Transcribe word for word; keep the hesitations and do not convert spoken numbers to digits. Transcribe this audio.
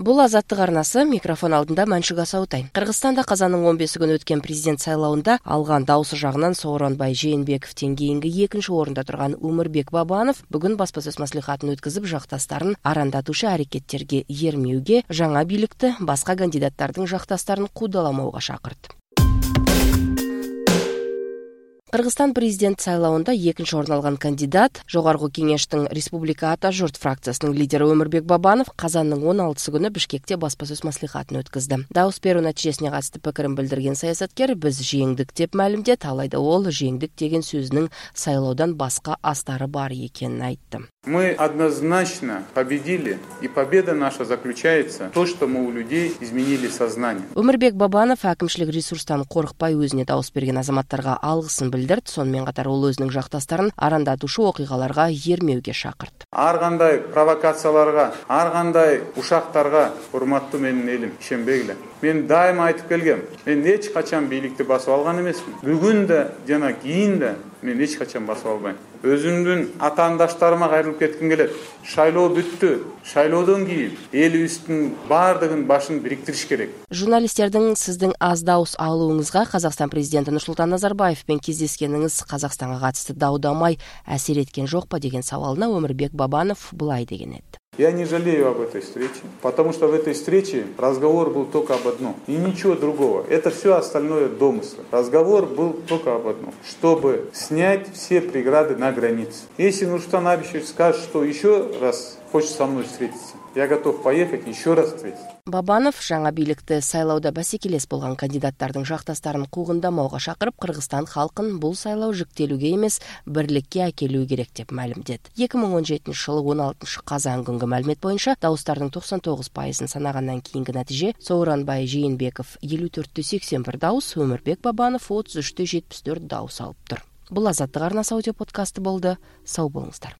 Бул Азаттык арнасы, микрофон алдында Маншук Асаутай. Кыргызстанда казандын он беси күнү өткөн президент шайлоонда алган дауысы жагынан Сооронбай Жээнбековден кийинки экинчи орунда турган Өмүрбек Бабанов бүгүн баспасөз маслихатын өткөзүп, жакташтарын арандатуучу аракеттерге эрмеүүгө, жаңа бийликти башка кандидаттардын жакташтарын куудаламоого чакырды. Кыргызстан президент шайлоонда экинчи орун алган кандидат, Жогорку Кеңештин Республика Ата журт фракциясынын лидери Өмүрбек Бабанов казандын он алтысы күнү Бишкекте баспасөз маслихатын өткөздү. Дауыс берүү натыйжесине катысты пикирин билдирген саясаткер биз жеңдик деп маалимдеді, алайда ол жеңдик деген сөзүнүн шайлоодон башка астары бар экенин айтты. Мы однозначно победили, и победа наша заключается в том, что мы у людей изменили сознание. Өмүрбек Бабанов акимчилик ресурстан коркпай өзүнө дауыс берген азаматтарга алгысын билдирди. Сонун катар ол өзүнүн жакташтарын арандатуучу окуйгаларга эрмеүүгө чакырды. Ар кандай провокацияларга, ар кандай ушактарга, урматтуу менин элим, ишенбегиле. Мен дайыма айтып келгем, мен эч качан бийликти басып алган эмесмин. Бүгүн да жана кийин да мен эч качан басып албайм. Өзүмдүн атаандаштарыма кайрылып кетким келет. Шайлоо бүттү. Шайлоодон кийин элибиздин баардыгын башын бириктириш керек. Журналисттердин сиздин аз дауыс алууңузга Казакстан президенти Нурсултан Назарбаев менен кездескениңиз Казакстанга катысты даудамай асир эткен жокпу деген сабалына Өмүрбек Бабанов былай деген эди. Я не жалею об этой встрече, потому что в этой встрече разговор был только об одном и ничего другого. Это все остальное домыслы. Разговор был только об одном, чтобы снять все преграды на границе. Если Нурсултан Абишевич скажет, что еще раз хочет со мной встретиться, я готов поехать еще раз встретиться. Бабанов жаңа бийликти шайлоодо басекелес болгон кандидаттардын жакташтарын куугундамоого чакырып, Кыргызстан халкын бул шайлоо жиктелүүгө эмес, бирликке акелүү керек деп маалимдеді. эки миң он жетинчи жылы он алтынчы казан күнгү маалимет боюнча дауыстардын токсон тогуз пайызын санагандан кийинки натыйже Сооронбай Жээнбеков элүү төрттө сексен бир дауыс, Өмүрбек Бабанов отуз үчтө жетимиш төрт дауыс алыптыр. Бул Азаттык арнасы аудио подкасты болду. Сау болуңуздар.